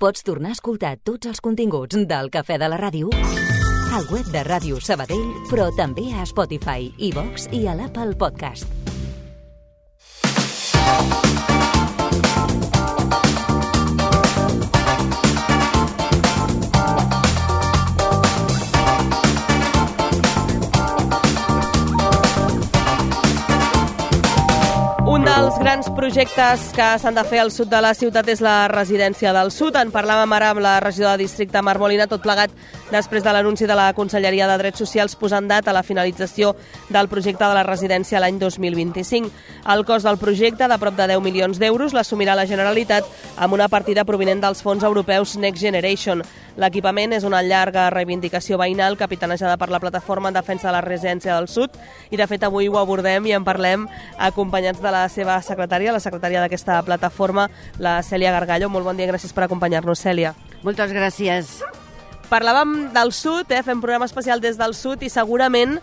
Pots tornar a escoltar tots els continguts del Cafè de la Ràdio al web de Ràdio Sabadell, però també a Spotify, iVox i a l'Apple Podcast. Un dels grans projectes que s'han de fer al sud de la ciutat és la residència del sud. En parlàvem ara amb la regidora de districte, Mar Molina, tot plegat després de l'anunci de la Conselleria de Drets Socials posant data a la finalització del projecte de la residència l'any 2025. El cost del projecte, de prop de 10 milions d'euros, l'assumirà la Generalitat amb una partida provinent dels fons europeus Next Generation. L'equipament és una llarga reivindicació veïnal capitanejada per la plataforma en defensa de la residència del sud i, de fet, avui ho abordem i en parlem acompanyats de la seva secretària, la secretària d'aquesta plataforma, la Cèlia Gargallo. Molt bon dia, gràcies per acompanyar-nos, Cèlia. Moltes gràcies. Parlàvem del sud, fem programa especial des del sud i segurament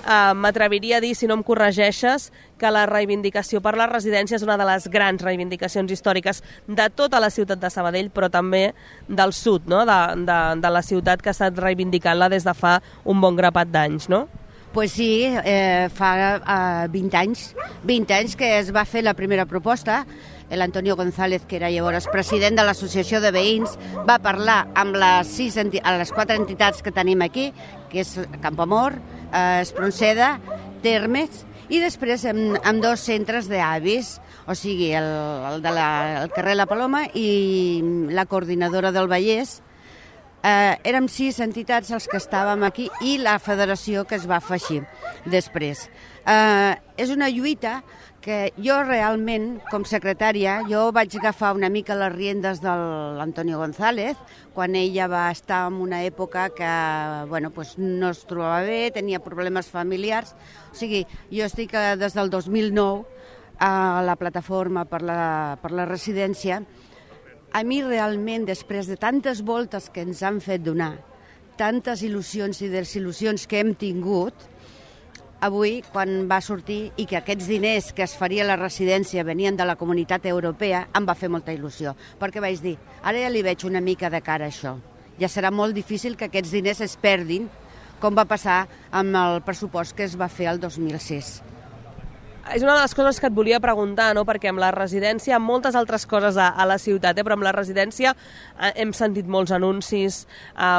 m'atreviria a dir, si no em corregeixes, que la reivindicació per la residència és una de les grans reivindicacions històriques de tota la ciutat de Sabadell, però també del sud, no? de la ciutat que ha estat reivindicant-la des de fa un bon grapat d'anys, no? Pues sí, fa 20 anys que es va fer la primera proposta. L'Antonio González, que era llavors president de l'Associació de Veïns, va parlar amb les 4 entitats que tenim aquí, que és Campoamor, Espronceda, Termes, i després amb 2 centres d'avis, o sigui, el carrer La Paloma i la coordinadora del Vallès. Érem 6 entitats els que estàvem aquí i la federació que es va afegir després. És una lluita que jo realment, com secretària, jo vaig agafar una mica les riendes de l'Antonio González quan ella va estar en una època que no es trobava bé, tenia problemes familiars. O sigui, jo estic des del 2009 a la plataforma per la residència. A mi realment, després de tantes voltes que ens han fet donar, tantes il·lusions i desil·lusions que hem tingut, avui, quan va sortir i que aquests diners que es faria a la residència venien de la Comunitat Europea, em va fer molta il·lusió, perquè vaig dir, ara ja li veig una mica de cara a això. Ja serà molt difícil que aquests diners es perdin, com va passar amb el pressupost que es va fer el 2006. És una de les coses que et volia preguntar, no? Perquè amb la residència, amb moltes altres coses a la ciutat, però amb la residència hem sentit molts anuncis,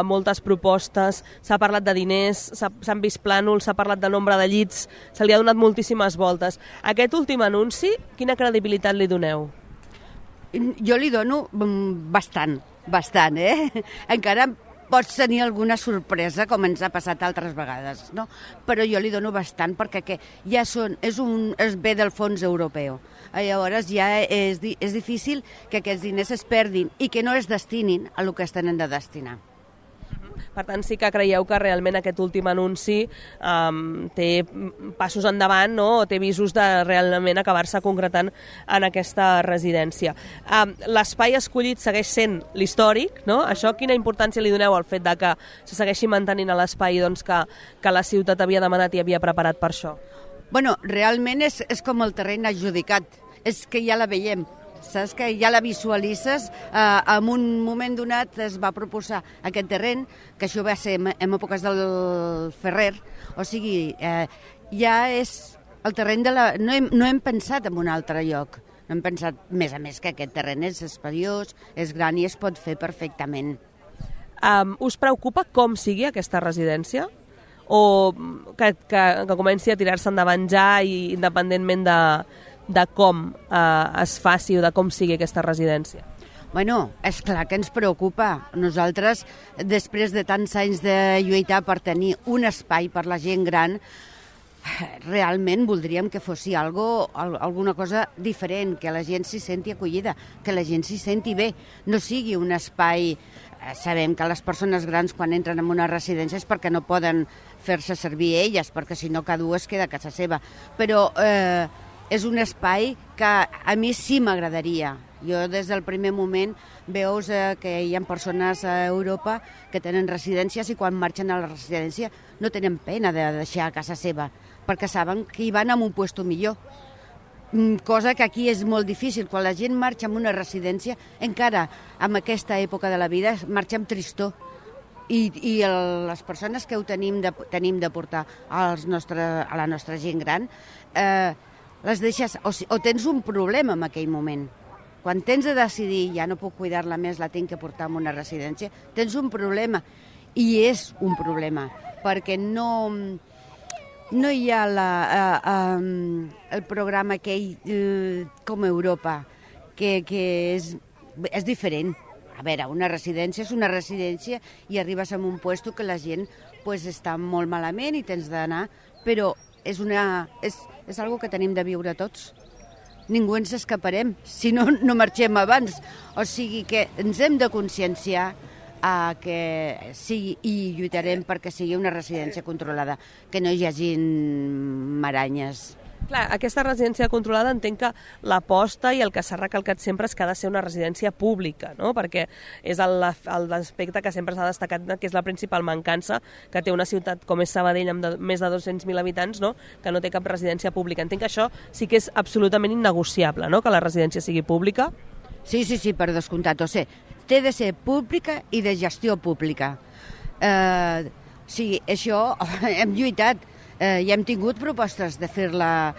moltes propostes, s'ha parlat de diners, s'han vist plànols, s'ha parlat de nombre de llits, se li ha donat moltíssimes voltes. Aquest últim anunci, quina credibilitat li doneu? Jo li dono bastant, Encara pots tenir alguna sorpresa, com ens ha passat altres vegades, no? Però jo li dono bastant perquè ja es ve del fons europeu. Llavors ja és difícil que aquests diners es perdin i que no es destinin a el que es tenen de destinar. Per tant, sí que creieu que realment aquest últim anunci té passos endavant, no? O té visos de realment acabar-se concretant en aquesta residència. L'espai escollit segueix sent l'històric, no? Això, quina importància li doneu al fet de que se segueixi mantenint a l'espai que la ciutat havia demanat i havia preparat per això? Bueno, realment és com el terreny adjudicat, és que ja la veiem. Saps que ja la visualitzes, en un moment donat es va proposar aquest terreny, que això va ser en èpoques del Ferrer, o sigui, ja és el terreny no hem pensat en un altre lloc, no hem pensat, més a més, que aquest terreny és espaiós, és gran i es pot fer perfectament. Us preocupa com sigui aquesta residència? O que comenci a tirar-se endavant ja i independentment de com es faci o de com sigui aquesta residència? Bueno, és clar que ens preocupa. Nosaltres, després de tants anys de lluitar per tenir un espai per la gent gran, realment voldríem que fos alguna cosa diferent, que la gent s'hi senti acollida, que la gent s'hi senti bé, no sigui un espai... Sabem que les persones grans quan entren en una residència és perquè no poden fer-se servir elles, perquè si no cada u es queda a casa seva. Però és un espai que a mi sí m'agradaria. Jo des del primer moment veus que hi ha persones a Europa que tenen residències i quan marxen a la residència no tenen pena de deixar a casa seva, perquè saben que hi van a un lloc millor. cosa que aquí és molt difícil. Quan la gent marxa en una residència, encara en aquesta època de la vida, marxa amb tristor. I les persones que ho tenim de portar a la nostra gent gran, les deixes, o tens un problema en aquell moment. Quan tens de decidir, ja no puc cuidar-la més, la tinc que portar a una residència, tens un problema. I és un problema, perquè no hi ha el programa aquell com Europa, que és diferent. A veure, una residència és una residència i arribes a un lloc que la gent està molt malament i tens d'anar, però és algo que tenim de viure tots. Ningú ens escaparem, si no, no marxem abans. O sigui que ens hem de conscienciar que sigui, i lluitarem perquè sigui una residència controlada, que no hi hagin maranyes. Clar, aquesta residència controlada entenc que l'aposta i el que s'ha recalcat sempre és que ha de ser una residència pública, no? Perquè és l'aspecte que sempre s'ha destacat, que és la principal mancança que té una ciutat com és Sabadell amb més de 200.000 habitants, no? Que no té cap residència pública. Entenc que això sí que és absolutament innegociable, no? Que la residència sigui pública. Sí, per descomptat. O sigui, té de ser pública i de gestió pública. Sí, això hem lluitat. Ja hem tingut propostes de fer-la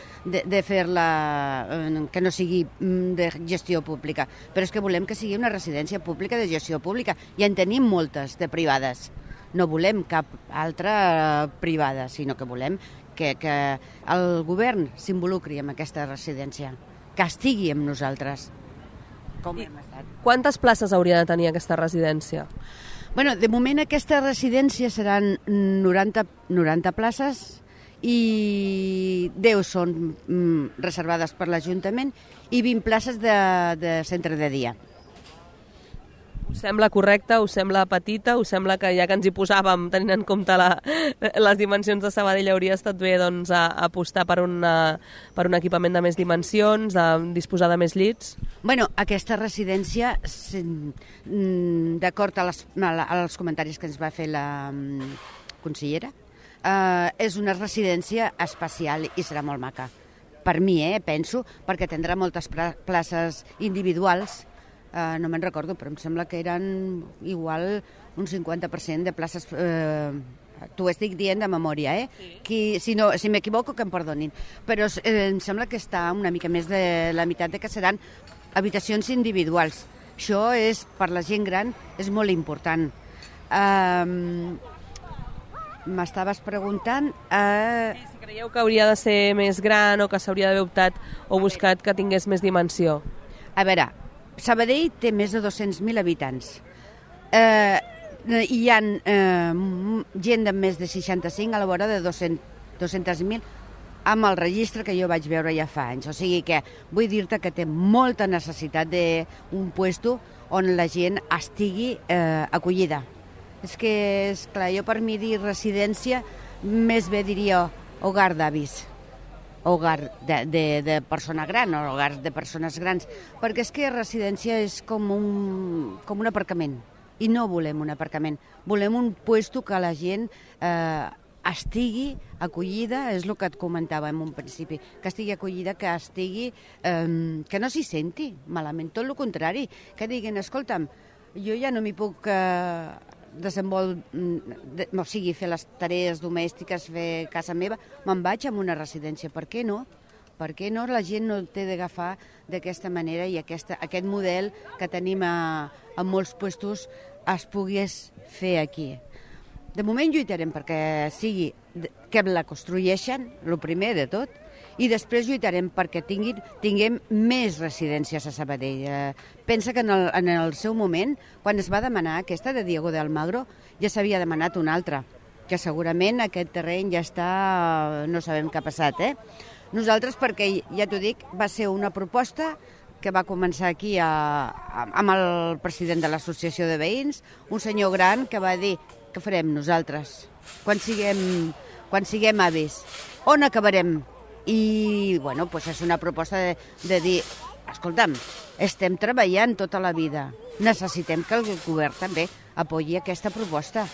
que no sigui de gestió pública, però és que volem que sigui una residència pública de gestió pública. Ja en tenim moltes de privades. No volem cap altra privada, sinó que volem que el govern s'involucri en aquesta residència, que estigui amb nosaltres, com hem estat. Quantes places hauria de tenir aquesta residència? Bueno, de moment aquesta residència seran 90 places, i 10 són reservades per l'Ajuntament i 20 places de centre de dia. Us sembla correcte? Us sembla petita? Us sembla que ja que ens hi posàvem, tenint en compte les dimensions de Sabadell, hauria estat bé doncs, apostar per un equipament de més dimensions, disposar de més llits? Bueno, aquesta residència, d'acord als comentaris que ens va fer la consellera, és una residència especial i serà molt maca. Per mi, penso, perquè tindrà moltes places individuals, no me'n recordo, però em sembla que eren igual un 50% de places, t'ho estic dient de memòria, si m'equivoco que em perdonin, però em sembla que està una mica més de la meitat de que seran habitacions individuals. Això és, per la gent gran, és molt important. M'estaves preguntant... Si creieu que hauria de ser més gran o que s'hauria d'haver optat o buscat que tingués més dimensió. A veure, Sabadell té més de 200.000 habitants. Hi ha gent de més de 65 a la vora de 200.000 amb el registre que jo vaig veure ja fa anys. O sigui que vull dir-te que té molta necessitat d'un puesto on la gent estigui acollida. És que, esclar, jo per mi dir residència, més bé diria hogar d'avis, hogar de persona gran o hogar de persones grans, perquè és que residència és com un aparcament, i no volem un aparcament, volem un puesto que la gent estigui acollida, és el que et comentava en un principi, que estigui acollida, que no s'hi senti malament, tot el contrari, que diguin, escolta'm, jo ja no m'hi puc fer les tarees domèstiques, fer casa meva, me'n vaig a una residència. Per què no? Per què no? La gent no té d'agafar d'aquesta manera i aquest model que tenim a molts puestos es pogués fer aquí. De moment lluitarem perquè sigui que la construeixen, el primer de tot, i després lluitarem perquè tinguem més residències a Sabadell. Pensa que en el seu moment, quan es va demanar aquesta de Diego de Almagro, ja s'havia demanat una altra, que segurament aquest terreny ja està... no sabem què ha passat, Nosaltres, perquè, ja t'ho dic, va ser una proposta que va començar aquí amb el president de l'Associació de Veïns, un senyor gran que va dir què farem nosaltres quan siguem avis, on acabarem? I, bueno, doncs és una proposta de dir, escolta'm, estem treballant tota la vida, necessitem que el govern també apoyi aquesta proposta.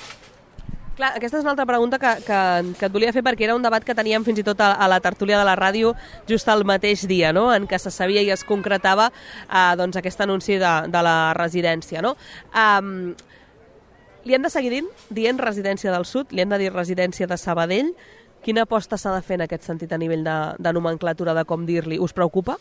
Clar, aquesta és una altra pregunta que et volia fer, perquè era un debat que teníem fins i tot a la tertúlia de la ràdio just el mateix dia, no?, en què se sabia i es concretava doncs, aquest anunci de la residència. No? Li hem de seguir dient residència del Sud, li hem de dir residència de Sabadell. Quina aposta s'ha de fer en aquest sentit a nivell de nomenclatura, de com dir-li? Us preocupa?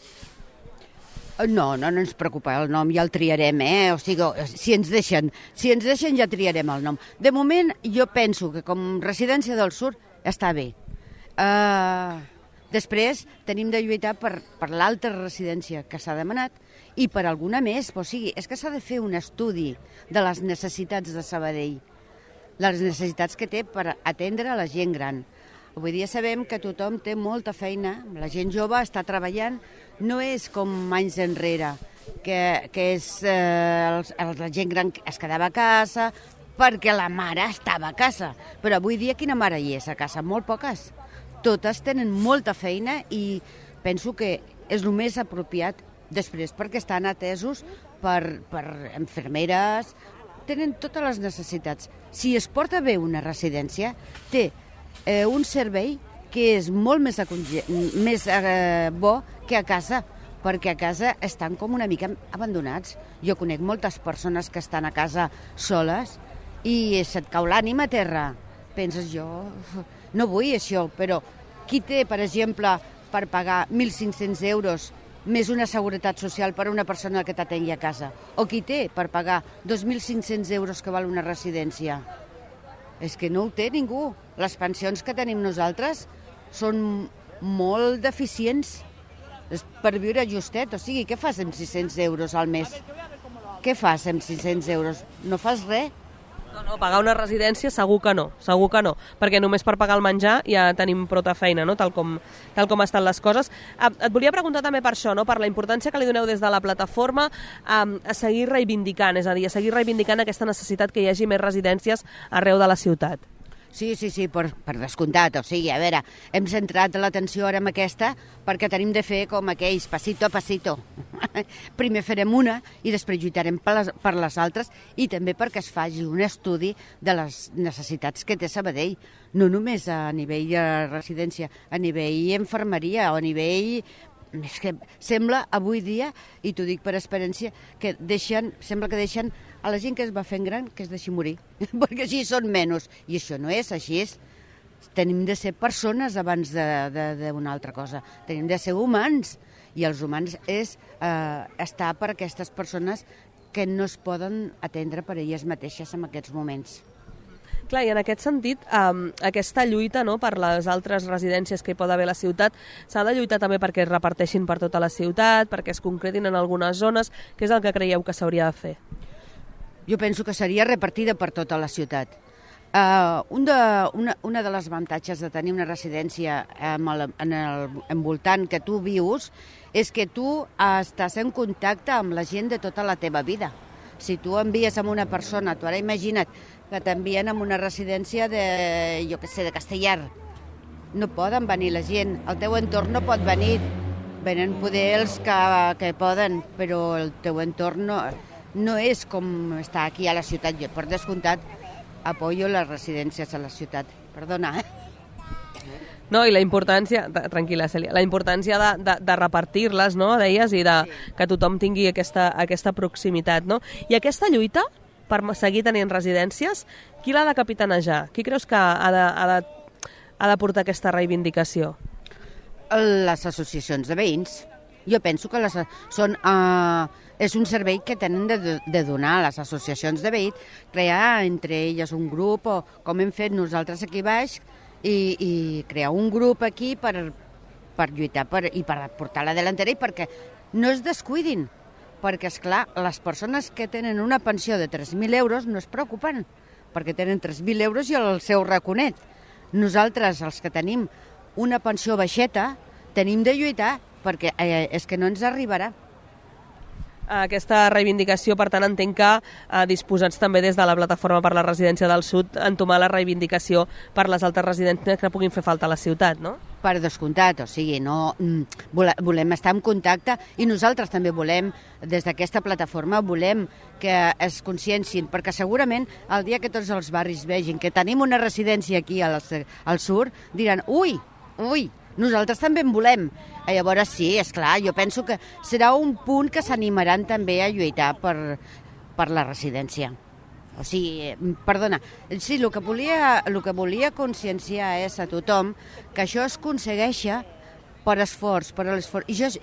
No ens preocupa el nom, ja el triarem, O sigui, si ens deixen ja triarem el nom. De moment, jo penso que com residència del Sud està bé. Després, tenim de lluitar per l'altra residència que s'ha demanat i per alguna més. O sigui, és que s'ha de fer un estudi de les necessitats de Sabadell, les necessitats que té per atendre la gent gran. Avui dia sabem que tothom té molta feina, la gent jove està treballant, no és com anys enrere, que és la gent gran es quedava a casa perquè la mare estava a casa. Però avui dia quina mare hi és a casa? Molt poques. Totes tenen molta feina i penso que és el més apropiat després perquè estan atesos per infermeres, tenen totes les necessitats. Si es porta bé una residència, té un servei que és molt més bo que a casa, perquè a casa estan com una mica abandonats. Jo conec moltes persones que estan a casa soles i se't cau l'ànima a terra. Penses, jo no vull això, però qui té, per exemple, per pagar 1.500 euros més una seguretat social per a una persona que t'atengui a casa? O qui té per pagar 2.500 euros que val una residència? És que no ho té ningú. Les pensions que tenim nosaltres són molt deficients per viure justet. O sigui, què fas amb 600 euros al mes? Què fas amb 600 euros? No fas res. No, pagar una residència segur que no, perquè només per pagar el menjar ja tenim prou feina, no? tal com estan les coses. Et volia preguntar també per això, no? Per la importància que li doneu des de la plataforma a seguir reivindicant, és a dir, a seguir reivindicant aquesta necessitat que hi hagi més residències arreu de la ciutat. Sí, per descomptat. O sigui, a veure, hem centrat l'atenció ara en aquesta perquè tenim de fer com aquells, passito a passito. Primer farem una i després lluitarem per les altres i també perquè es faci un estudi de les necessitats que té Sabadell, no només a nivell de residència, a nivell infermeria o a nivell... És que sembla avui dia, i t'ho dic per experiència, que sembla que deixen a la gent que es va fent gran que es deixi morir, perquè així són menys. I això no és així. Tenim de ser persones abans d'una altra cosa. Tenim de ser humans. I els humans és estar per aquestes persones que no es poden atendre per elles mateixes en aquests moments. Clar, i en aquest sentit, aquesta lluita, no, per les altres residències que hi pot haver a la ciutat, s'ha de lluitar també perquè es reparteixin per tota la ciutat, perquè es concretin en algunes zones. Què és el que creieu que s'hauria de fer? Jo penso que seria repartida per tota la ciutat. Una de les avantatges de tenir una residència en el envoltant que tu vius és que tu estàs en contacte amb la gent de tota la teva vida. Si tu envies amb una persona, tu ara imagina't que t'envien a una residència de Castellar, no poden venir la gent, el teu entorn no pot venir, venen poder els que poden, però el teu entorn no és com està aquí a la ciutat. Jo, per descomptat, apoyo les residències a la ciutat. Perdona, No, i la importància, tranquil·la Cèlia, la importància de repartir-les, no, deies, i que tothom tingui aquesta proximitat, no? I aquesta lluita per seguir tenint residències, qui l'ha de capitanejar? Qui creus que ha de portar aquesta reivindicació? Les associacions de veïns. Jo penso que és un servei que tenen de donar a les associacions de veïns, crear entre elles un grup, o com hem fet nosaltres aquí baix, i crear un grup aquí per lluitar i per portar la delantera i perquè no es descuidin. Perquè, esclar, les persones que tenen una pensió de 3.000 euros no es preocupen, perquè tenen 3.000 euros i el seu raconet. Nosaltres, els que tenim una pensió baixeta, tenim de lluitar perquè és que no ens arribarà. Aquesta reivindicació, per tant, entenc que disposats també des de la Plataforma per la Residència del Sud a entomar la reivindicació per les altres residències que puguin fer falta a la ciutat, no? Per descomptat, o sigui, no, volem estar en contacte i nosaltres també volem, des d'aquesta plataforma, volem que es consciencin, perquè segurament el dia que tots els barris vegin que tenim una residència aquí al sud, diran, ui, nosaltres també en volem. Llavors sí, és clar, jo penso que serà un punt que s'animaran també a lluitar per la residència. O sigui, perdona, sí, el que volia conscienciar és a tothom que això es aconsegueix per esforç,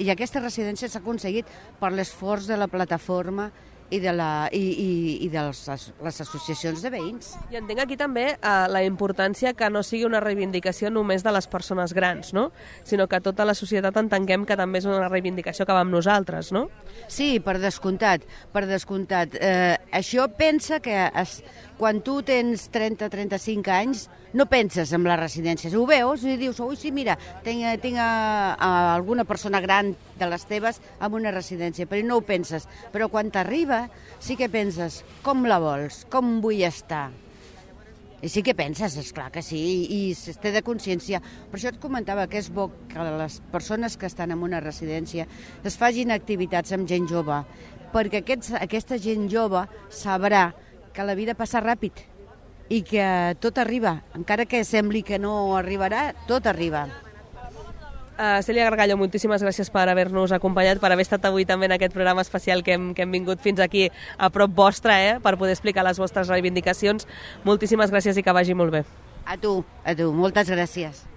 i aquesta residència s'ha aconseguit per l'esforç de la plataforma i de les associacions de veïns. I entenc aquí també la importància que no sigui una reivindicació només de les persones grans, no? Sinó que tota la societat entenguem que també és una reivindicació que va amb nosaltres, no? Sí, per descomptat. Això pensa que quan tu tens 30-35 anys no penses en les residències. Ho veus i dius, ui, sí, mira, tinc alguna persona gran de les teves en una residència, però no ho penses. Però quan t'arriba sí que penses, com la vols, com vull estar. I sí que penses, esclar que sí, i es té de consciència. Per això et comentava que és bo que les persones que estan en una residència es facin activitats amb gent jove, perquè aquesta gent jove sabrà que la vida passa ràpid i que tot arriba. Encara que sembli que no arribarà, tot arriba. Cèlia Gargallo, moltíssimes gràcies per haver-nos acompanyat, per haver estat avui també en aquest programa especial que hem vingut fins aquí a prop vostra, per poder explicar les vostres reivindicacions. Moltíssimes gràcies i que vagi molt bé. A tu, moltes gràcies.